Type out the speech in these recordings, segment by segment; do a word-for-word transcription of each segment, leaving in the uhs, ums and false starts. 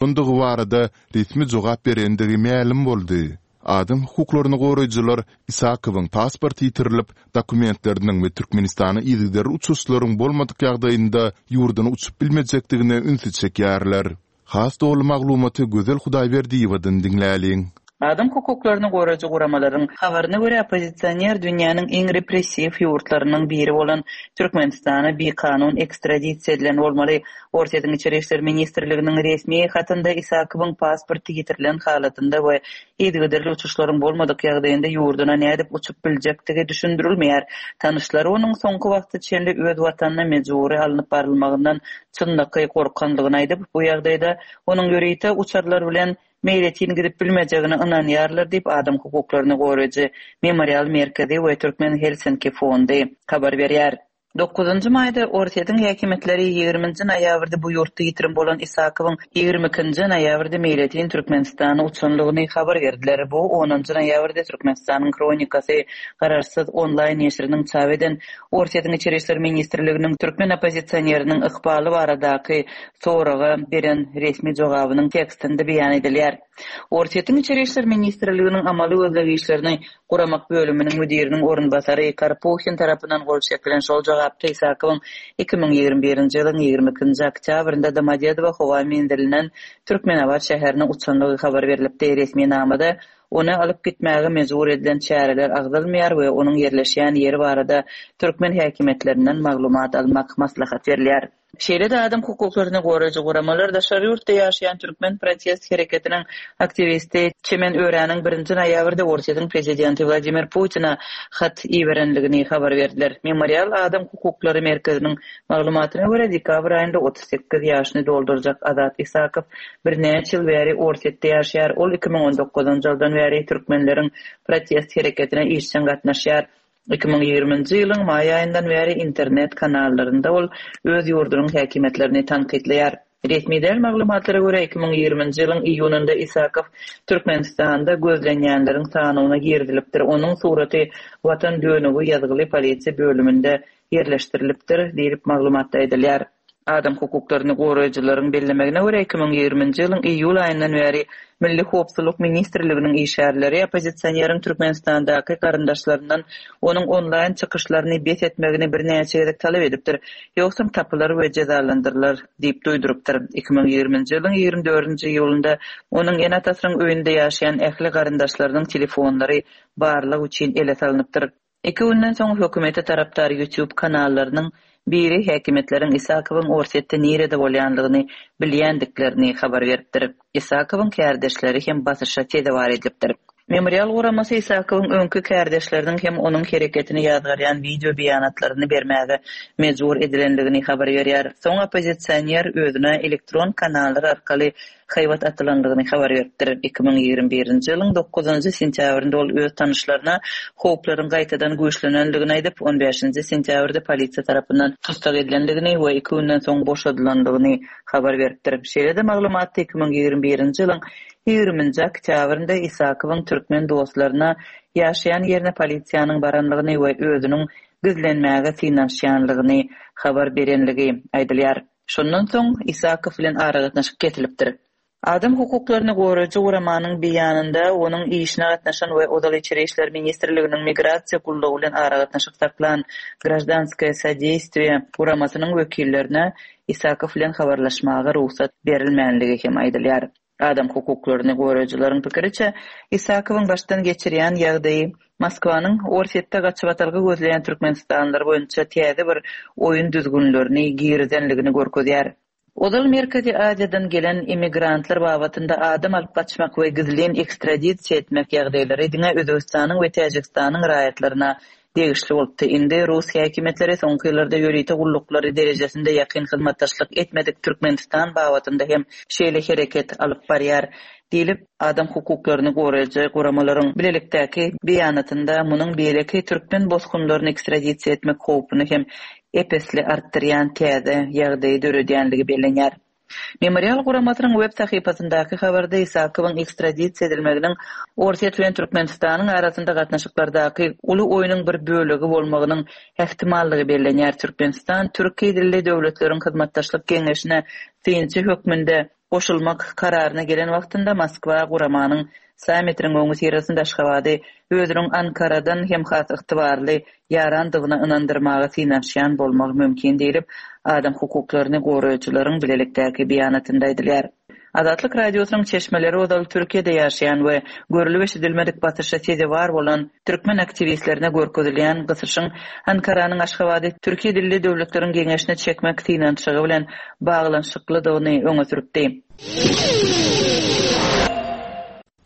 Bolandygy barada resmi jogap berendigi mälim boldy. Adam hukuklaryny goraýjylar Isakowyň pasporty ýitirilip, dokumentleriniň we Türkmenistana yzygiderli uçuşlaryň bolmadyk ýagdaýynda ýurduna uçup bilmejekdigine ünsi çekýärler. Has doly maglumaty Gözel Hudaýberdiýewadan diňläliň. Adam hukuklaryny goraýjy guramalaryň habaryna görä, oppozisioner dünýäniň iň repressiw ýurtlarynyň biri bolan Türkmenistana bikanun ekstradisiýa edilen bolmaly. Orsýetiň Içeri işler ministrliginiň resmi hatynda Isakowyň pasporty ýitirilen halatynda we yzygiderli uçuşlaryň bolmadyk ýagdaýynda ýurduna nädip uçup biljekdigi düşündirilmeýär. Tanyşlary onuň soňky wagta çenli öz watanyna mejbury alnyp barylmagyndan çynlakaý gorkandygyny aýdyp, bu ýagdaýda onuň ýörite uçarlar bilen meýletin gidip bilmejegine ynanýarlar diýip, adam hukuklaryny goraýjy Memorial merkezi we Türkmen Helsinki fondy habar berýär. Dokuzynjy maýda Orsýetiň häkimiýetleri ýigriminji noýabrda bu ýurtda ýitirim bolan Isakowyň ýigrimi ikinji noýabrda meýletin Türkmenistana uçanlygyny habar berdiler. Bu onunjy noýabrda Türkmenistanyň Hronikasy garaşsyz onlaýn neşiriniň çap eden Orsýetiň Içeri işler ministrliginiň türkmen oppozisioneriniň ykbaly baradaky soraga beren resmi jogabynyň tekstinde beýan edilýär. Orsýetiň Içeri işler ministrliginiň amaly gözleg işlerini guramak bölüminiň müdiriniň orunbasary Karpuhin tarapyndan gol çekilen şol jogapda Isakowyň iki müň ýigrimi birinji ýylyň ýigrimi ikinji oktýabrynda Domodedowo howa menzilinden Türkmenabat şäherine uçanlygy habar berlipdi. Resminamada ony alyp gitmäge mejbur edilen çäreler agzalmaýar we onuň ýerleşýän ýeri barada türkmen häkimiýetlerinden maglumat almak maslahat berilýär. Şeýle-de adam hukuklaryny goraýjy guramalar daşary ýurtda ýaşaýan türkmen protest hereketiniň aktiwisti Çemen Öräniň birinji noýabrda Orsýetiň prezidenti Wladimir Putine hat iberenligini habar berdiler. Memorial adam hukuklary merkeziniň maglumatyna görä, dekabr aýynda otuz sekiz ýaşyny doldurjak Azat Isakow birnäçe ýyl bäri Orsýetde ýaşaýar. Ol iki müň on dokuzynjy ýyldan bäri türkmenleriň protest hereketine işjeň gatnaşýar. Iki müň ýigriminji ýylyň maý aýyndan bäri internet kanallarynda ol öz ýurdunyň häkimiýetlerini tankytlaýar. Resmi däl maglumatlara görä, iki müň ýigriminji ýylyň iýunynda Isakow Türkmenistanda gözlenýänleriň sanawyna girizilipdir. Onuň suraty Watan dönügi ýazgyly polisiýa bölüminde ýerleşdirilipdir diýlip maglumatda aýdylýar. Adam hukuklaryny goraýjylaryň bellemegine görä, iki müň ýigriminji ýylyň iýul aýyndan bäri Milli howpsuzlyk ministrliginiň işgärleri oppozisioneriň Türkmenistandaky garyndaşlaryndan onuň onlaýn çykyşlaryny bes etmegini birnäçe gezek talap edipdir. Ýogsam tapylar we jezalandyrylar diýip duýdurypdyr. Iki müň ýigriminji ýylyň ýigrimi dördünji iýulynda onuň ene-atasynyň öýünde ýaşaýan ähli garyndaşlarynyň telefonlary barlag üçin ele salnypdyr. Iki günden soň hökümete tarapdar YouTube kanallarynyň biri häkimiýetleriň Isakowyň Orsýetde nirede bolýanlygyny bilýändiklerini habar beripdir. Isakowyň kärdeşleri hem basyşa sezewar edilipdir. Memorial guramasy Isakowyň öňki kärdeşleriniň hem onuň hereketini ýazgarýan wideo beýanatlaryny bermäge mejbur edilenligini habar berýär. Soň oppozisioner özüne elektron kanallar arkaly haýbat atylanlygyny habar beripdir. Iki müň ýigrimi birinji ýylyň dokuzynjy sentýabrynda ol öz tanyşlaryna howplaryň gaýtadan güýçlenenligini aýdyp, on bäşinji sentýabrda polisiýa tarapyndan tussag edilenligini we iki günden soň boşadylanlygyny habar beripdir. Şeýle-de maglumatda iki müň ýigrimi birinji ýylyň ýigriminji oktýabrynda Isakowyň türkmen dostlaryna ýaşaýan ýerine polisiýanyň baranlygyny we özüniň gizlenmäge synanyşýanlygyny habar berenligi aýdylýar. Şondan soň Isakow bilen aragatnaşyk kesilipdir. Adam hukuklaryny goraýjy guramanyň beýanynda onuň işine gatnaşan we ozal Içeri işler ministrliginiň migrasiýa gullugy bilen aragatnaşyk saklan Grajdanskoye sodeýstwiýe guramasynyň wekillerine Isakow bilen habarlaşmaga rugsat berilmänligi hem aýdylýar. Adam hukuklaryny goraýjylaryň pikiriçe, Isakowyň başdan geçirýän ýagdaýy Moskwanyň Orsýetde gaçybatalga gözleýän türkmenistanlylar boýunça täze bir oýun düzgünlerini girizenligini görkezýär. Ozal Merkezi Aziýadan gelen immigrantlar babatynda adam alyp gaçmak we gizlin ekstradisiýa etmek ýagdaýlary diňe Özbegistanyň we Täjigistanyň raýatlaryna degişli bolupdy. Indi rus häkimiýetleri soňky ýyllarda ýörite gulluklary derejesinde ýakyn hyzmatdaşlyk etmedik Türkmenistan babatynda hem şeýle hereket alyp barýar diýlip, adam hukuklaryny goraýjy guramalaryň bilelikdäki beýanatynda munuň beýleki türkmen bosgunlaryny ekstradisiýa etmek howpuny hem ep-esli artdyrýan täze ýagdaýy döredýänligi bellenýär. Memorial guramasynyň web sahypasyndaky habarda Isakowyň ekstradisiýa edilmeginiň Orsýet bilen Türkmenistanyň arasynda gatnaşyklardaky uly oýnuň bir bölegi bolmagynyň ähtimallygy bellenýär. Türkmenistan türki dilli döwletleriň hyzmatdaşlyk geňeşine synçy hökmünde Goşulmak kararyna gelen wagtynda Moskwa guramanyň sammitiniň öňüsyrasynda Aşgabady özüniň Ankaradan hem has ygtybarly ýarandygyna ynandyrmaga synanyşýan bolmagy mümkin diýlip, adam hukuklaryny goraýjylaryň bilelikdäki beýanatynda aýdylýar. Azatlyk Radiosynyň çeşmeleri ozal Türkiýede ýaşaýan we görülip eşidilmedik basyşa sezewar bolan türkmen aktiwistlerine görkezilýän gysyşyň Ankaranyň Aşgabady Türkiýe dilli döwletleriň geňeşine çekmek synanyşygy bilen baglanyşyklydygyny öňe sürüpdi.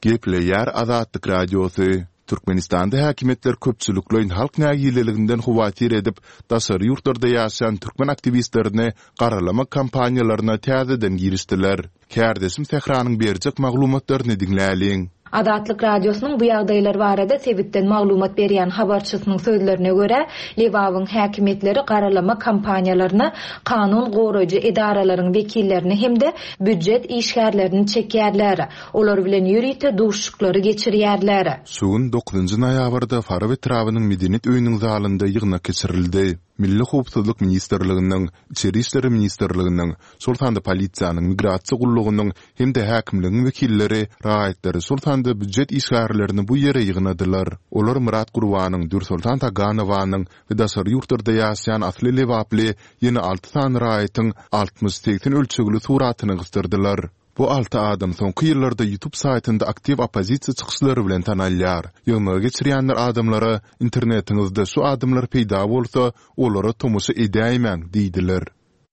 Gepleýär Azatlyk Radiosy, Türkmenistanda häkimiýetler köpçülikleýin halk nägileliginden howatyr edip, daşary ýurtlarda ýaşaýan türkmen aktiwistlerini garalamak kampaniýalaryna täzeden girişdiler. Kärdeşim Sähranyň berjek maglumatlaryny diňläliň. Azatlyk Radiosynyň bu ýagdaýlar barada sebitden maglumat berýän habarçysynyň sözlerine görä, Lebabyň häkimiýetleri garalama kampaniýalaryna kanun goraýjy edaralaryň wekillerini hem-de býujet işgärlerini çekýärler. Olar bilen ýörite duşuşyklary geçirýärler. Şu gün dokuzynjy noýabrda Farap etrabynyň Medeniýet öýüniň zalynda ýygnak geçirildi. Milli howpsuzlyk ministrliginiň, Içeri işler ministrliginiň, şol sanda polisiýanyň, migrasiýa gullugynyň hem-de häkimligiň wekilleri raýatlary, şol sanda býujet işgärlerini bu ýere ýygnadylar. Olar Myrat Gurbanyň, Dürsoltan Taganowanyň we daşary ýurtlarda ýaşaýan asly lebaply ýene alty sany raýatyň altmyş-segsen ölçegli suratyny gysdyrdylar. Bu alty adam soňky ýyllarda YouTube saýtynda aktiw oppozisiýa çykyşlary bilen tanalýar. Ýygnagy geçirýänler adamlara, Internetiňizde şu adamlar peýda bolsa, olara tomaşa edäýmäň diýdiler.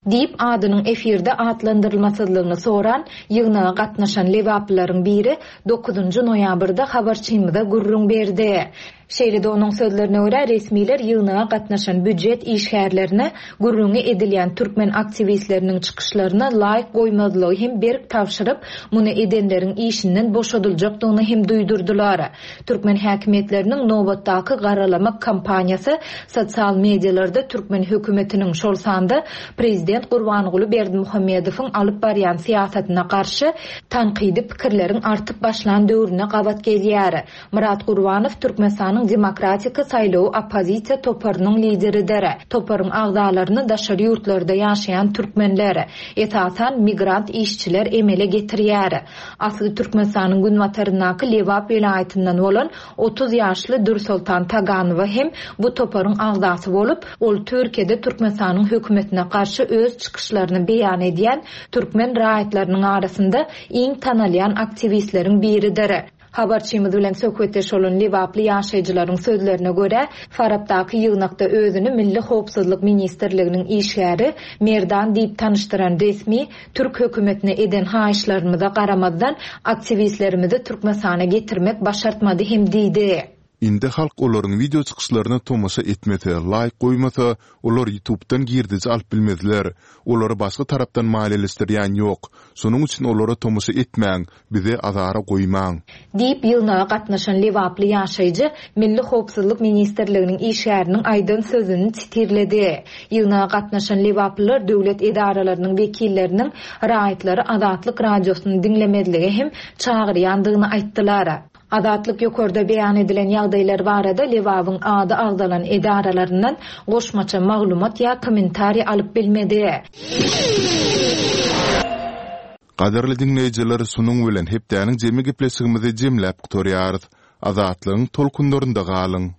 Diýip, adynyň efirde atlandyrylmasyzlygyny soran, ýygnaga gatnaşan lebaplylaryň biri dokuzynjy noýabrda habarçymyza gürrüň berdi. Şeýle-de onuň sözlerine görä, resmiler ýygnaga gatnaşan býujet işgärlerine gürrüňi edilýän türkmen aktiwistleriniň çykyşlaryna laýk goýmazlygy hem berk tabşyryp, muny edenleriň işinden boşadyljakdygyny hem duýdurdylar. Türkmen häkimiýetleriniň nobatdaky garalamak kampaniýasy sosial medialarda türkmen hökümetiniň, şol sanda prezident Gurbanguly Berdimuhamedowyň alyp barýan syýasatyna garşy tankydy pikirleriň artyp başlan döwrüne gabat gelýär. Myrat Gurbanow Türkmenistanyň Demokratik saýlawy oppozisiýa toparynyň lideridir. Toparyň agzalaryny daşary ýurtlarda ýaşaýan türkmenler, esasan, migrant işçiler emele getirýär. Asly Türkmenistanyň günbataryndaky Lebap welaýatyndan bolan otuz ýaşly Dürsoltan Taganowa hem bu toparyň agzasy bolup, ol Türkiýede Türkmenistanyň hökümetine garşy öz çykyşlaryny beýan edýän türkmen raýatlarynyň arasynda iň tanalýan aktiwistleriň biridir. Habarçymyz bilen söhbetdeş bolan lebaply ýaşaýjylaryň sözlerine görä, Farapdaky ýygnakda özüni Milli howpsuzlyk ministrliginiň işgäri Merdan diýip tanyşdyran resmi türk hökümetine eden haýyşlarymyza garamazdan, aktiwistlerimizi Türkmenistana getirmek başartmady hem diýdi. Indi halk olaryň wideo çykyşlaryna tomaşa etmese, laýk goýmasa, olar ýutubdan girdeji alyp bilmezler. Olary başga tarapdan maliýeleşdirýän ýok. Şonuň üçin olara tomaşa etmäň, bizi azara goýmaň. Diýip, ýygnaga gatnaşan lebaply ýaşaýjy Milli howpsuzlyk ministrliginiň işgäriniň aýdan sözüni sitirledi. Ýygnaga gatnaşan lebaplylar döwlet edaralarynyň wekilleriniň raýatlary Azatlyk Radiosyny diňlemezlige hem çagyrýandygyny aýtdylar. Azatlyk ýokarda beýan edilen ýagdaýlar barada Lebabyň ady agzalan edaralaryndan goşmaça maglumat ýa kommentariý alyp bilmedi. Gadyrly diňleýjiler, şunuň bilen hepdäniň jemi gepleşigimizi jemläp gutarýarys. Azatlygyň tolkunlarynda galyň!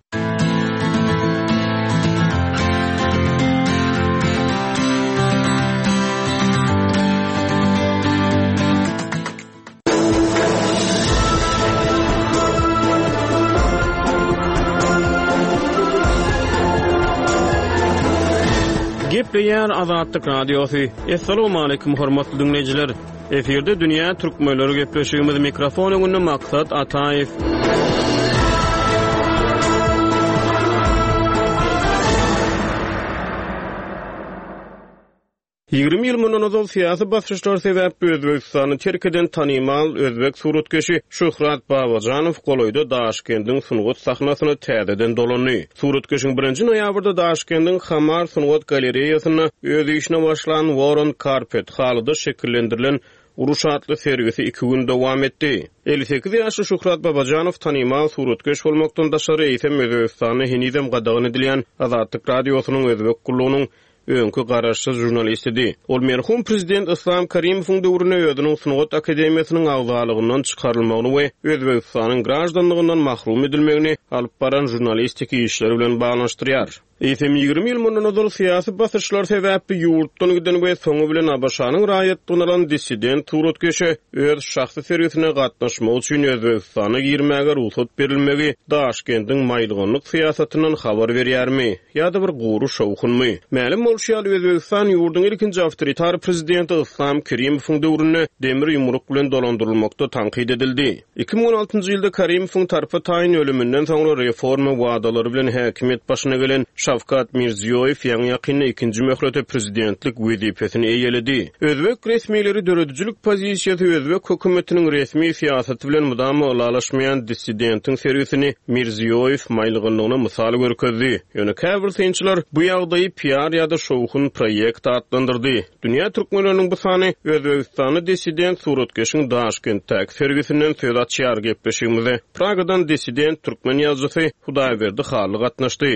Gepleýär Azatlyk Radiosy. Assalamualaikum hormatly dinleýjiler. Efirde Dünýä Türkmenleri gepleşigimiz mikrofon öňünde Maksat Ataýew. Ýigrimi ýyl mundan ozal syýasy basyşlar sebäpli Özbegistany terk eden tanymal özbek suratkeşi Şöhrat Babajanow golaýda Daşkendiň sungat sahnasyna täzeden dolandy. Suratkeşiň birinji noýabrda Daşkendiň Hamar sungat galereýasynda öz işine başlan Woron Karpet halyda şekillendirilen Uruş atly sergisi iki gün dowam etdi. Elli sekiz ýaşly Şöhrat Babajanow tanymal suratkeş bolmakdan daşary, eýsem Özbegistanda henizem gadagan edilýän Azatlyk Radiosynyň Özbek gullugynyň öňki garaşsyz žurnalistidi. Ol merhum prezident Islam Karimowyň döwründe özüniň Sungat akademiýasynyň agzalygyndan çykarylmagyny we Özbegistanyň graždanlygyndan mahrum edilmegini alyp baran žurnalistik işleri bilen baglanyşdyrýar. Eýsem ýigrimi ýyl mundan ozal syýasy basyşlar sebäpli ýurtdan giden we soňy bilen ABŞ-nyň raýatlygyny alan dissident suratkeşe öz şahsy sergisine gatnaşmak üçin Özbegistana girmäge rugsat berilmegi Daşkendiň maýylganlyk syýasatyndan habar berýärmi ýa-da bir gury şowhunmy? Mälim bolşy ýaly Özbegistan ýurduň ilkinji awtoritar prezidenti Islam Kerimowyň döwründe demir ýumruk bilen dolandyrylmakda tankyt edildi. Iki müň on altynjy ýylda Karimowyň tarpa taýyn ölüminden soňra reforma wadalary bilen häkimiýet başyna gelen Şawkat Mirziýoýew ýaňy ýakynda ikinji möhlete prezidentlik wezipesini eýeledi. Özbek resmileri döredijilik pozisiýasy Özbek hökümetiniň resmi syýasaty bilen mudama ylalaşmaýan dissidentiň sergisini Mirziýoýew maýylganlygyna mysal görkezdi. Ýöne käbir synçylar bu ýagdaýy P R ýa-da şowhun proýekt atlandyrdy. Dünýä türkmenleriniň bu sany Özbegistanly dissident suratkeşiň Daşkentdäki sergisinden söz açýar gepleşigimize. Pragadan dissident türkmen ýazyjysy Hudaýberdi Hally gatnaşdy.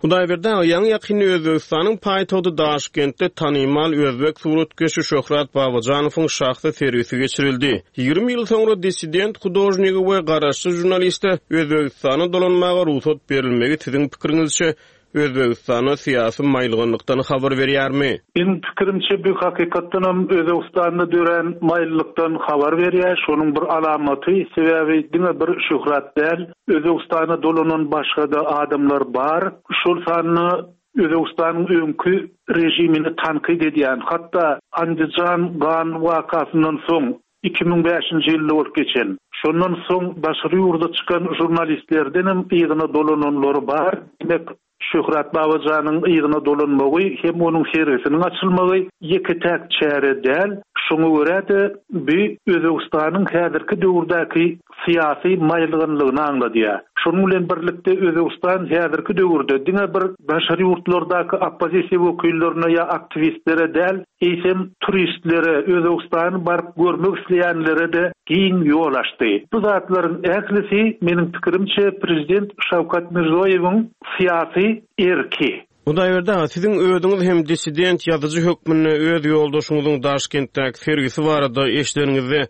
Hudaýberdi aga, ýaňy ýakynda Özbegistanyň paýtagty Daşkentde tanymal özbek suratkeşi Şöhrat Babajanowyň şahsy sergisi geçirildi. Ýigrimi ýyl soňra dissident hudožnigi we garaşsyz žurnaliste Özbegistana dolanmaga rugsat berilmegi siziň pikiriňizçe Özbegistana syýasy maýylganlykdan habar berýärmi? Meniň pikirimçe bu hakykatdanam Özbegistanda dörän maýyllykdan habar berýär. Şonuň bir alamaty, sebäbi diňe bir Şöhrat däl, Özbegistana dolanan başga da adamlar bar. Şol sanda Özbegistanyň öňki rejimini tankyt edýän, hatda Andijan gan wakasyndan soň iki müň bäşinji ýylda bolup geçen. Şondan soň daşary ýurda çykan žurnalistlerden hem yzyna dolananlary bar. Demek Şöhrat Babajanyň yzyna dolanmagy hem onuň sergisiniň açylmagy ýeke-täk çäre däl. Şoňa görä-de bu Özbegistanyň häzirki döwürdäki syýasy maýylganlygyny aňladýar. Şonuň bilen birlikde Özbegistan häzirki döwürde diňe bir daşary ýurtlardaky oppozisiýa wekillerine ýa aktiwistlere däl, eýsem turistlere, Özbegistany baryp görmek isleýänlere de giň ýol açdy. Bu zatlaryň ählisi meniň pikirimçe prezident Şawkat Mirziýoýewiň syýasy erki. Hudaýberdi aga, siziň özüňiz hem dissident ýazyjy hökmünde öz ýoldaşyňyzyň Daşkentdäki sergisi barada eşideniňizde,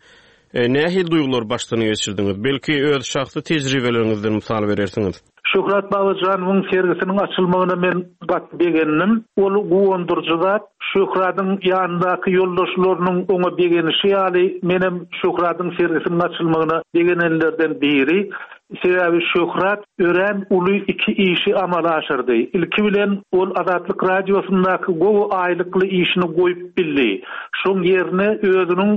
e, nähili duýgular başdan geçirdiňiz? Belki öz şahsy tejribeleriňizden mysal berersiňiz. Şöhrat Babajanowyň sergisiniň açylmagyna men gaty begendim. Ol guwandyryjy zat. Şöhratyň ýanyndaky ýoldaşlarynyň oňa begenişi ýaly menem Şöhratyň sergisiniň açylmagyna begenenlerden biri. Sebäbi Şöhrat örän uly iki işi amala aşyrdy. Ilki bilen ol Azatlyk radiosyndaky gowy aýlykly işini goýup bildi. Şoň ýerine özüniň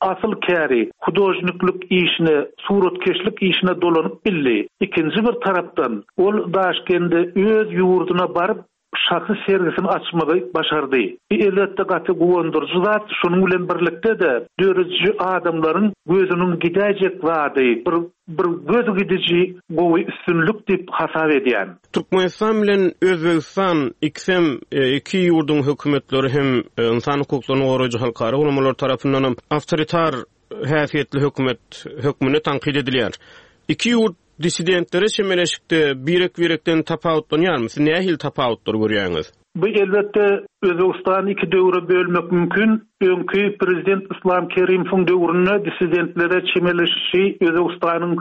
asyl käri hudožniklik işine, suratkeşlik işine dolanyp bildi. Ikinji bir tarapdan ol Daşkende öz ýurduna baryp şahsy sergisini açmagy başardy. Bu elbetde gaty guwandyryjy zat. Şonuň bilen birlikde de döredici adamlaryň gözüniň gidäýjek zady, bir, bir göz gidiji gowy üstünlik diýip hasap edýän. Türkmenistan bilen Özbegistan ikisem, e, iki ýurduň hökümetleri hem, e, insan hukuklaryny goraýjy halkara guramalar tarapyndan hem awtoritar häsiýetli hökümet hökmünde tankyt edilýär. Iki ýurt dissidentlere çemeleşikde birek-birekden tapawutlanýarmy? Siz nähili tapawutlar görýäňiz? Bu elbetde Özbegistany iki döwre bölmek mümkin. Öňki prezident Islam Kerimowyň döwründe dissidentlere çemeleşişi Özbegistanyň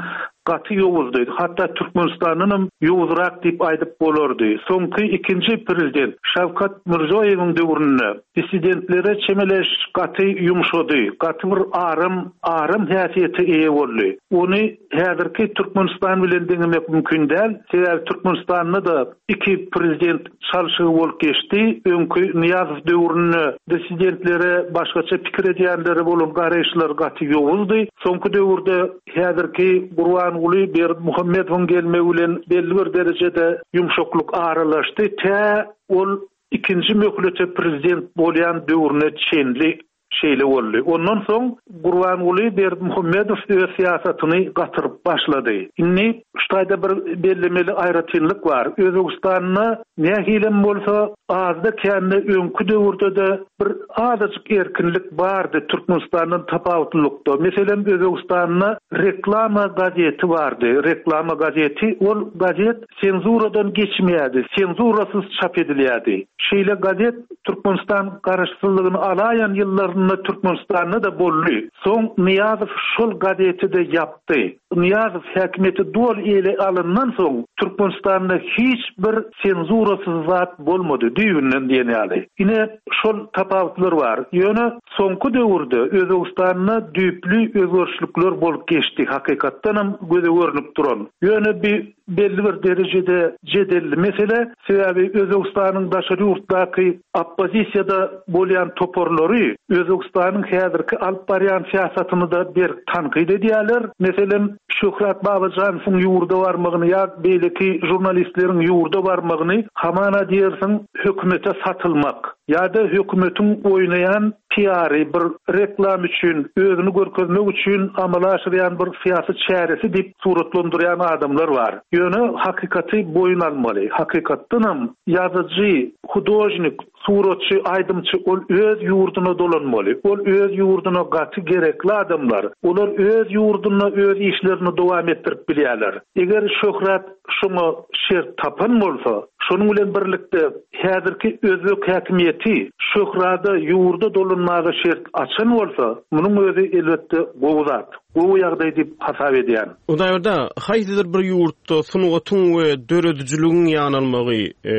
gaty ýowuzdy. Hatda Türkmenistandan hem ýowuzrak diýip aýdyp bolardy. Soňky ikinji prezident Şawkat Mirziýoýewiň döwründe dissidentlere çemeleşiş gaty ýumşady. Gaty bir aram, aram häsiýete eýe boldy. Ony häzirki Türkmenistan bilen deňemek mümkin däl. Sebäbi Türkmenistanda da iki prezident çalşygy bolup geçdi. Öňki Nyýazow döwründe dissidentlere başgaça pikir edýänlere bolan garaýyşlar gaty ýowuzdy. Soňky döwürde häzirki Gurbanguly Berdimuhamedowyň gelmegi bilen belli bir derejede ýumşaklyk aralaşdy. Tä ol ikinji möhlete prezident bolýan döwrüne çenli Şeýle boldy. Ondan soň Gurbanguly Berdimuhamedow öz syýasatyny gatyryp başlady. Indi şu taýda bir bellemeli aýratynlyk bar. Özbegistanda nähilem bolsa azda kände öňki döwürde-de bir azajyk erkinlik bardy Türkmenistandan tapawutlylykda. Meselem, Özbegistanda reklama gazeti bardy. Reklama gazeti, ol gazet senzuradan geçmeýärdi, senzurasyz çap edilýärdi. Şeýle gazet Türkmenistan garaşsyzlygyny alaýan ýyllarynda Türkmenistanda da boldy. Soň Nyýazow şol gazeti de ýapdy. Nyýazow häkimiýeti doly ele alyndan soň Türkmenistanda hiç bir senzurasyz zat bolmady, düýbünden diýen ýaly. Ine şol tapawutlar bar. Ýöne soňky döwürde Özbegistanda düýpli özgerişlikler bolup geçdi, hakykatdanam göze görünip duran. Ýöne bir belli bir derejede jedelli mesele, sebäbi Özbegistanyň daşary ýurtdaky oppozisiýada bolýan toparlary Özbegistanyň häzirki alyp barýan syýasatyny da berk tankyt edýärler. Meselem, Şöhrat Babajanowyň ýurda barmagyny ýa beýleki žurnalistleriň ýurda barmagyny hamana diýersiň hökümete satylmak ýa-da hökümetiň oýnaýan P R-y bir reklam üçin, özüni görkezmek üçin amala aşyrýan bir syýasy çäresi diýip suratlandyrýan adamlar bar. Ýöne hakykaty boýun almaly. Hakykatdanam ýazyjy, hudožnik, suratçy, aýdymçy ol öz ýurduna dolanmaly. Ol öz ýurduna gaty gerekli adamlar. Olar öz ýurdunda öz işlerini dowam etdirip bilýärler. Eger Şöhrat şoňa şert tapan bolsa, şonuň bilen birlikde häzirki özbek häkimiýeti Şöhrada ýurda dolanmaga şert açan bolsa, munuň özi elbetde gowy zat, gowy ýagdaý diýip hasap edýän. Hudaýberdi, haýsydyr bir ýurtda sungatyň we döredijiligiň ýanalmagy, e,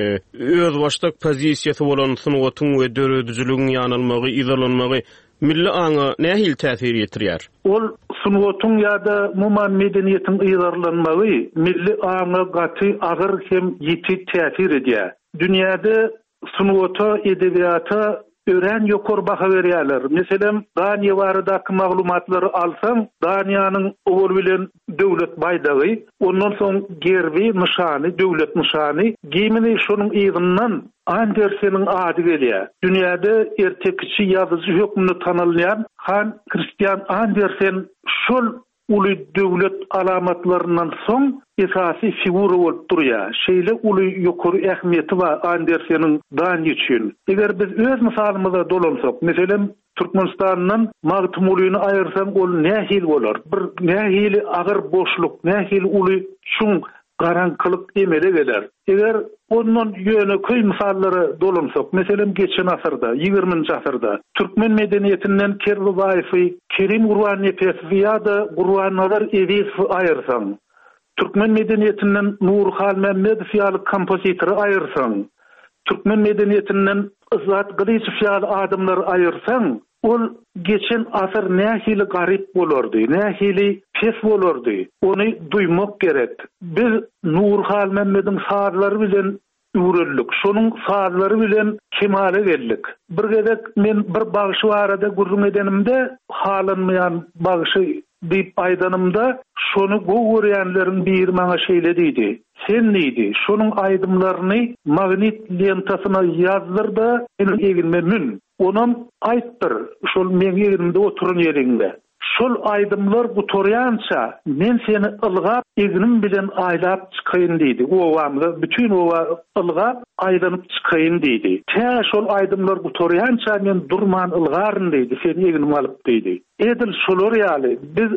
özbaşdak pozisiýasy bolan sungatyň we döredijiligiň ýanalmagy, yzarlanmagy milli aňa nähili täsir ýetirýär? Ol sungatyň ýa-da umuman medeniýetiň yzarlanmagy milli aňa gaty agyr hem ýiti täsir edýär. Dünýäde sungata, edebiýata örän ýokary baha berýärler. Meselem, Daniýa baradaky maglumatlary alsaň, Daniýanyň owal bilen döwlet baýdagy, ondan soň gerbi, nyşany, döwlet nyşany, gimni, şonuň yzyndan Anderseniň ady gelýär. Dünýäde ertekiçi ýazyjy hökmünde tanalýan Han Christian Andersen şol uly döwlet alamatlaryndan soň esasy figura bolup durýar. Şeýle uly ýokary ähmiýeti bar Anderseniň Daniýa üçin. Eger biz öz mysalymyza dolansak, meselem, Türkmenistandan Magtymgulyny aýyrsaň, ol nähili bolar? Bir nähili agyr boşluk, nähili uly çuň garaňkylyk emele geler. Eger ondan ýöneköý mysallara dolansak, meselem, geçen asyrda, ýigriminji asyrda türkmen medeniýetinden Kerbabaýewi, Kerim Gurbannepesowy ýa-da Gurbannazar Ezizowy aýyrsaň, türkmen medeniýetinden Nury Halmämmedow ýaly kompozitory aýyrsaň, türkmen medeniýetinden Yzzat Gylyjow ýaly adamlary aýyrsaň, ol geçen asyr nähili garyp bolardy, nähili pes bolardy, ony duýmak gerek. Biz Nury Halmämmediň sazlary bilen öwrendik, şonuň sazlary bilen kemala geldik. Bir gezek men bir bagşy barada gürrüň edenimde, halanmaýan bagşy diýip aýdanymda, şony gowy görýänleriň biri maňa şeýle diýdi. Sen diýdi, şonuň aýdymlaryny magnit lentasyna ýazdyr-da, meniň egnime mün. Onam aýtdyr, şol meň egnimde oturan ýeriňde. Şol aýdymlar gutarýança men seni ylgap egnim bilen aýlap çykaýyn diýdi. Obamyza bütün oba ylgap aýlanyp çykaýyn diýdi. Tä şol aýdymlar gutarýança men durman ylgaryn diýdi, seni egnime alyp diýdi. Edil şolar ýaly biz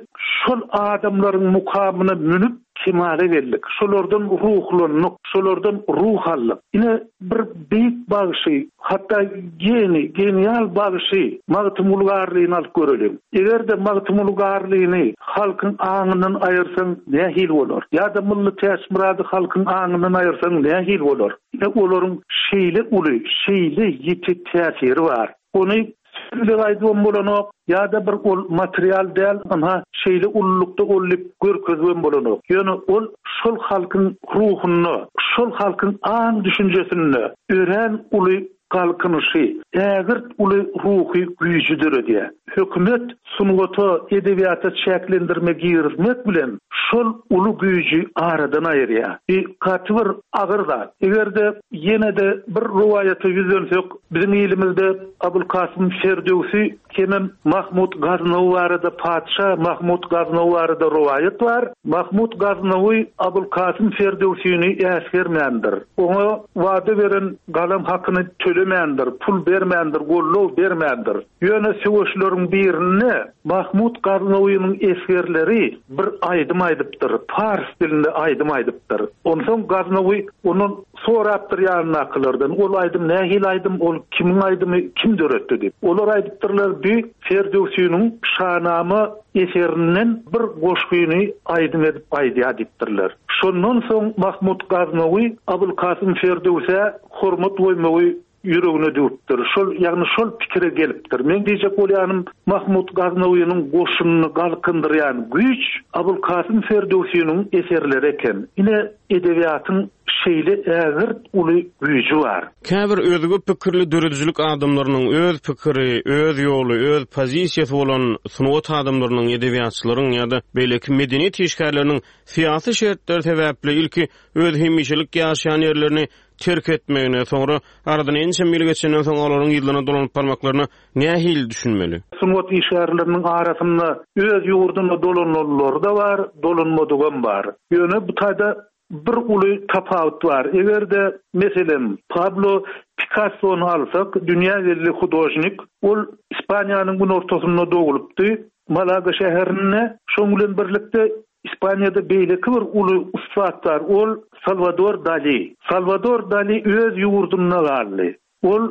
şol adamlaryň mukamyna münüp kemala geldik. Şolardan ruhlandyk, şolardan ruh aldyk. Ine bir beýik bagşy, hatda geni, genial bagşy Magtymguly Garlyny alyp görelim. Eger-de Magtymguly Garlyny halkyň aňyndan aýyrsaň nähili bolar? Ýa-da Mylly Täçmyrady halkyň aňyndan aýyrsaň nähili bolar? Ine olaryň şeýle uly, şeýle ýiti täsiri bar. Ony söz aýdybam bolanok, ýa-da bir ol material däl, ynha şeýle ululykda ol diýip görkezibem bolanok. Ýöne ol şol halkyň ruhunda, şol halkyň aň düşünjesinde örän uly galkynyşy, ägirt uly ruhy güýji döredýär. Hökümet sungata, edebiýata çäklendirme girizmek bilen şol uly güýji aradan aýyrýar. Bir gaty bir agyr zat. Eger-de ýene-de bir rowaýata ýüzlensek, biziň ilimizde Abulkasym Ferdöwsi hemem Mahmut Gaznawy barada patyşa Mahmut Gaznawy barada rowaýat bar. Mahmut Gaznawy Abulkasym Ferdöwsini äsgermändir. Oňa wada beren galam hakyny tölemändir, pul bermändir, gollow bermändir. Ýöne söweşleriň birinde Mahmut Gaznawynyň esgerleri bir aýdym aýdypdyr, pars dilinde aýdym aýdypdyr. Onsoň Gaznawy ondan sorapdyr ýanyndakylardan, ol aýdym nähili aýdym, ol kimiň aýdymy, kim döretdi diýip. Olar aýdypdyrlar, bi Ferdöwsiniň Şanama eserinden bir goşgyny aýdym edip aýdýar diýipdirler. Şondan soň Mahmut Gaznawy Abulkasym Ferdöwsä hormat goýmagy ýüregine düwüpdir. Şol, ýagny şol pikire gelipdir. Men diýjek bolýanym, Mahmut Gaznawynyň goşunyny galkyndyrýan güýç Abulkasym Ferdöwsiniň eserleri eken. Ine edebiýatyň şeýle ägirt uly güýji bar. Käbir özge pikirli döredijilik adamlarynyň öz pikiri, öz ýoly, öz pozisiýasy bolan sungat adamlarynyň, edebiýatçylaryň ýa-da beýleki medeniýet işgärleriniň syýasy şertler sebäpli ilki öz hemişelik ýaşaýan ýerlerini terk etmegine, soňra aradan ençe ýyl geçenden soň olaryň ýylyna dolanyp barmaklaryna nähili düşünmeli? Sungat işgärleriniň arasynda öz ýurduna dolananlary da bar, dolanmadygam bar. Ýöne bu taýda bir uly tapawut bar. Eger-de meselem Pablo Picasso'ny alsak, dünýä belli hudožnik, ol Ispaniýanyň günortasynda doglupdy, Malaga şäherinde. Şoň bilen birlikde Ispaniýada beýleki bir uly ussat bar, ol Salvador Dali. Salvador Dali öz ýurdunda galdy. Ol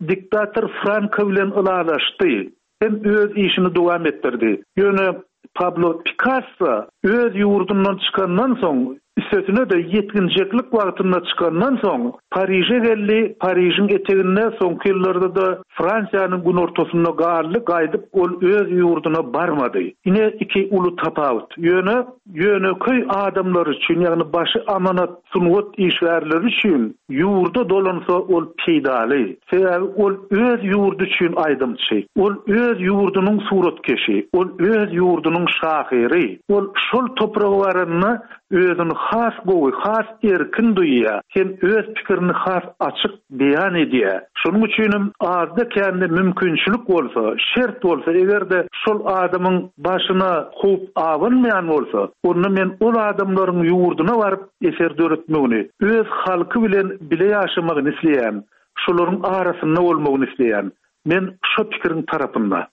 diktator Franko bilen ylalaşdy. Hem öz işini dowam etdirdi. Ýöne Pablo Picasso öz ýurdundan çykandan soň, üstesine de ýetginjeklik wagtynda çykandan soň Pariže geldi. Parižiň eteginde soňky ýyllarda da Fransiýanyň günortasynda galdy, gaýdyp ol öz ýurduna barmady. Ine iki uly tapawut. Ýöne ýöneköý adamlar üçin, ýagny başy amanat sungat işgärleri üçin ýurda dolansa ol peýdaly. Sebäbi ol öz ýurdy üçin aýdymçy, ol öz ýurdunyň suratkeşi, ol öz ýurdunyň şahyry. Ol şol topraga baranda özüni has gowy, has erkin duýýar, hem öz pikirini has açyk beýan edýär. Şonuň üçin azda kände mümkinçilik bolsa, şert bolsa, eger-de şol adamyň başyna howp abanmaýan bolsa, onda men ol adamlaryň ýurduna baryp eser döretmegini, öz halky bilen bile ýaşamagyny isleýän, şolaryň arasynda bolmagyny isleýän. Men şo pikiriň tarapynda.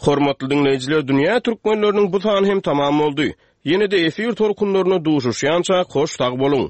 Hormatly dinleýjiler, dünýä türkmenleriniň bu sany hem tamam boldy. Ýene-de efir tolkunlaryna duşuşýança hoş sag boluň.